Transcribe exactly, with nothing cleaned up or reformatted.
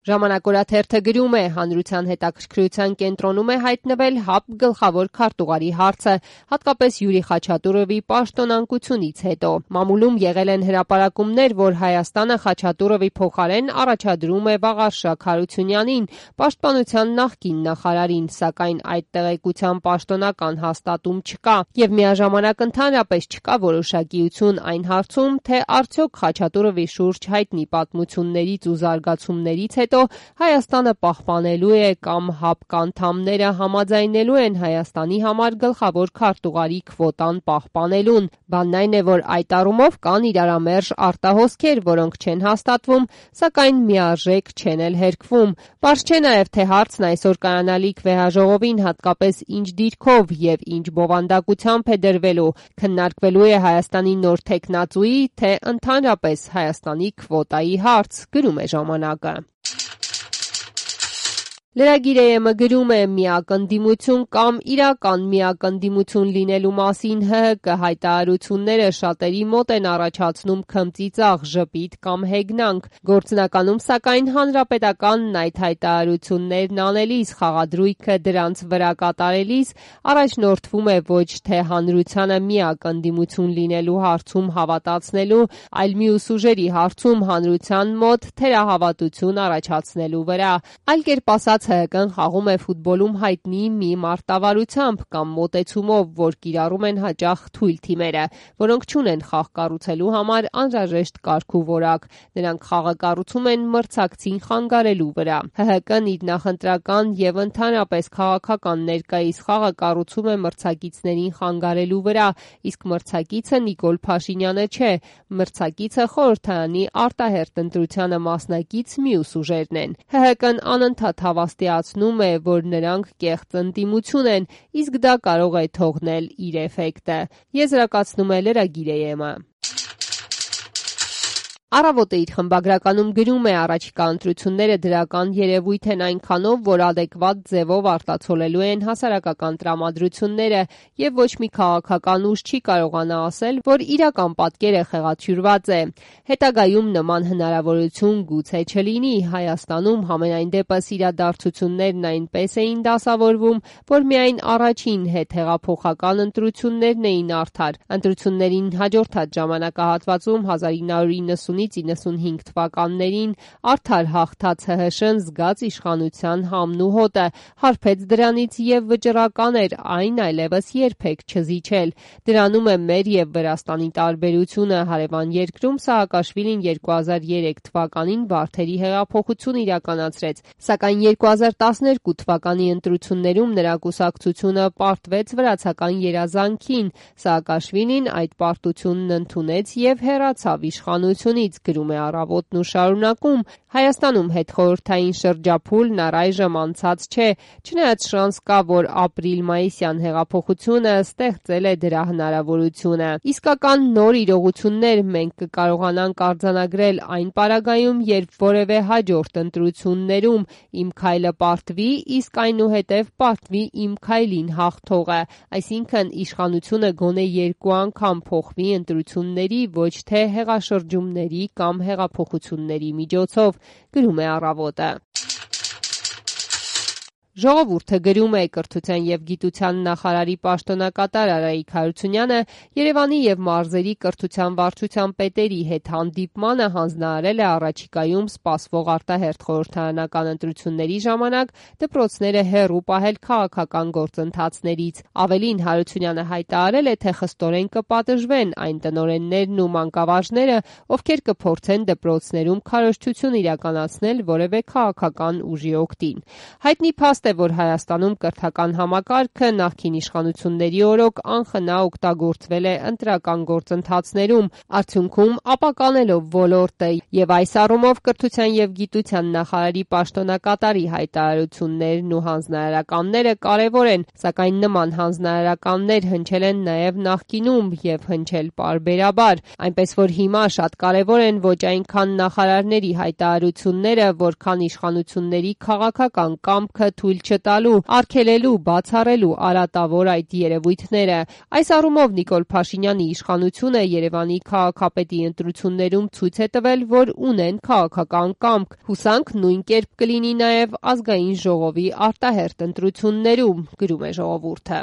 Ժամանակ օրաթերթը գրում է, հանրության հետաքրքրության կենտրոնում է հայտնվել ՀԱՊ գլխավոր քարտուղարի հարցը, հատկապես Յուրի Խաչատուրովի պաշտոնանկությունից հետո։ Մամուլում եղել են հրապարակումներ, որ Հայաստանը Խաչատուրովի փոխարեն առաջադրում է Վաղարշակ Հարությունյանին, պաշտպանության նախկին նախարարին, սակայն այդ տեղեկության պաշտոնական հաստատում չկա, եւ միաժամանակ ընդհանրապես չկա որոշակիություն այն հարցում, թե արդյոք Խաչատուրովի շուրջ հայտնի պատմություններից ու զարգացումներից հետո Հայաստանը պահպանելու է կամ ՀԱՊ անդամները համաձայնելու են Հայաստանի համար գլխավոր քարտուղարի քվոտան պահպանելուն։ Բանն այն է, որ այդ առումով կան իրարամերժ արտահոսքեր, որոնք չեն հաստատվում, սակայն միարժեք չեն էլ հերքվում։ Պարզ չէ նաև, թե հարցն այսօր կայանալիք վեհաժողովին հատկապես ինչ դիրքով եւ ինչ բովանդակությամբ է դրվելու, քննարկվելու է Հայաստանի նոր թեկնածուի, թե ընդհանրապես Հայաստանի քվոտայի հարց, գրում է ժամանակը։ Լրագիր.am-ը գրում է, միակ ընդդիմություն կամ իրական միակ ընդդիմություն լինելու մասին ՀՀԿ հայտարարությունները շատերի մոտ են առաջացնում քմծիծաղ, ժպիտ կամ հեգնանք։ Գործնականում, սակայն, հանրապետականն այդ հայտարարություններն անելիս, խաղադրույքը դրանց վրա կատարելիս առաջնորդվում է ոչ թե հանրությանը միակ ընդդիմություն լինելու հարցում հավատացնելու, այլ մյուս ուժերի հարցում հանրության մոտ թերահավատություն առաջացնելու վրա։ Այլ կերպ ասած, ՀՀԿ-ն խաղում է ֆուտբոլում հայտնի մի մարտավարությամբ կամ մոտեցումով, որ կիրառում են հաճախ թույլ թիմերը, որոնք չունեն խաղ կառուցելու համար անհրաժեշտ կարգ ու որակ։ Նրանք խաղը կառուցում են մրցակցին խանգարելու վրա։ ՀՀԿ-ն իր նախընտրական եւ ընդհանրապես քաղաքական ներկայիս խաղը կառուցում է մրցակիցներին խանգարելու վրա, իսկ մրցակիցը Նիկոլ Փաշինյանը չէ, մրցակիցը խորհրդարանի արտահերթ ընտրությանը մասնակից մյուս ուժերն են։ ՀՀԿ-ն անընդհատ հավաստիացնում է, որ նրանք կեղծ ընդդիմություն են, իսկ դա կարող է թողնել իր էֆեկտը։ Եզրակացնում է լրագիր.am-ը։ Առավոտը իր խմբագրականում գրում է, առաջիկա ընտրությունները դրական երևույթ են այնքանով, որ ադեկվատ ձևով արտացոլելու են հասարակական տրամադրությունները եւ ոչ մի քաղաքական ուժ չի կարողանա ասել, որ իրական պատկերը խեղաթյուրված է։ Հետագայում նման հնարավորություն գուցե չլինի։ Հայաստանում համենայն դեպս իրադարձություններն այնպես էին դասավորվում, որ միայն առաջին հետհեղափոխական ընտրություններն էին արդար։ Ընտրություններին հաջորդած ժամանակահատվածում հազար ինը հարյուր իննսունից իննսունհինգ թվականներին արդար հաղթած ՀՀՇ-ն զգաց իշխանության համն ու հոտը, հարբեց դրանից եւ վճռական էր այն այլևս երբեք չզիջել։ Դրանում է մեր եւ Վրաստանի տարբերությունը։ Հարևան երկրում Սաակաշվիլին երկու հազար երեք թվականին Վարդերի հեղափոխություն իրականացրեց, սակայն երկու հազար տասներկու թվականի ընտրություններում նրա կուսակցությունը պարտվեց վրացական երազանքին։ Սաակաշվիլին այդ պարտությունն ընդունեց եւ հեռացավ իշխանությունից, գրում է Առավոտն ու շարունակում. Հայաստանում հետխորհրդային շրջափուլն առայժմ անցած չէ, չնայած շանս կա, որ ապրիլ-մայիսյան հեղափոխությունը ստեղծել է դրա հնարավորությունը։ Իսկական նոր իրողություններ մենք կկարողանանք արձանագրել այն պարագայում, երբ որևէ հաջորդ ընտրություններում իմ քայլը պարտվի, իսկ այնուհետև պարտվի իմ քայլին հաղթողը, այսինքն իշխանությունը գոնե երկու անգամ փոխվի ընտրությունների, ոչ թե հեղաշրջումների կամ հեղափոխությունների միջոցով, գրում է Առավոտը։ Ժողովուրդը գրում է, կրթության եւ գիտության նախարարի պաշտոնակատար Արայիկ Հարությունյանը Երևանի եւ մարզերի կրթության վարչության պետերի հետ հանդիպմանը հանձնարարել է առաջիկայում սպասվող արտահերթ խորհրդարանական ընտրությունների ժամանակ դպրոցները հեռու պահել քաղաքական գործընթացներից։ Ավելին, Հարությունյանը հայտարարել է, թե խստորեն կպատժվեն այն տնօրեններն ու մանկավարժները, ովքեր կփորձեն դպրոցներում քարոզչություն իրականացնել որևէ քաղաքական ուժի օգտին։ Հայտնի փաստ է, որ Հայաստանում կրթական համակարգը նախկին իշխանությունների օրոք անխնա օգտագործվել է ընտրական գործընթացներում, արդյունքում ապականելով ոլորտը, եւ այս առումով կրթության եւ գիտության նախարարի պաշտոնակատարի հայտարարություններն ու հանձնարարականները կարեւոր են, սակայն նման հանձնարարականներ հնչել են նաեւ նախկինում եւ հնչել պարբերաբար, այնպես որ հիմա շատ կարեւոր են ոչ այնքան նախարարների հայտարարությունները, որքան իշխանությունների քաղաքական կամքը թույլ թույլ չտալու, արգելելու, բացառելու արատավոր այդ երևույթները։ Այս առումով Նիկոլ Փաշինյանի իշխանությունը Երևանի քաղաքապետի ընտրություններում ցույց է տվել, որ ունեն քաղաքական կամք։ Հուսանք նույն կերպ կլինի նաև Ազգային ժողովի արտահերթ ընտրություններում, գրում է «Ժողովուրդը»։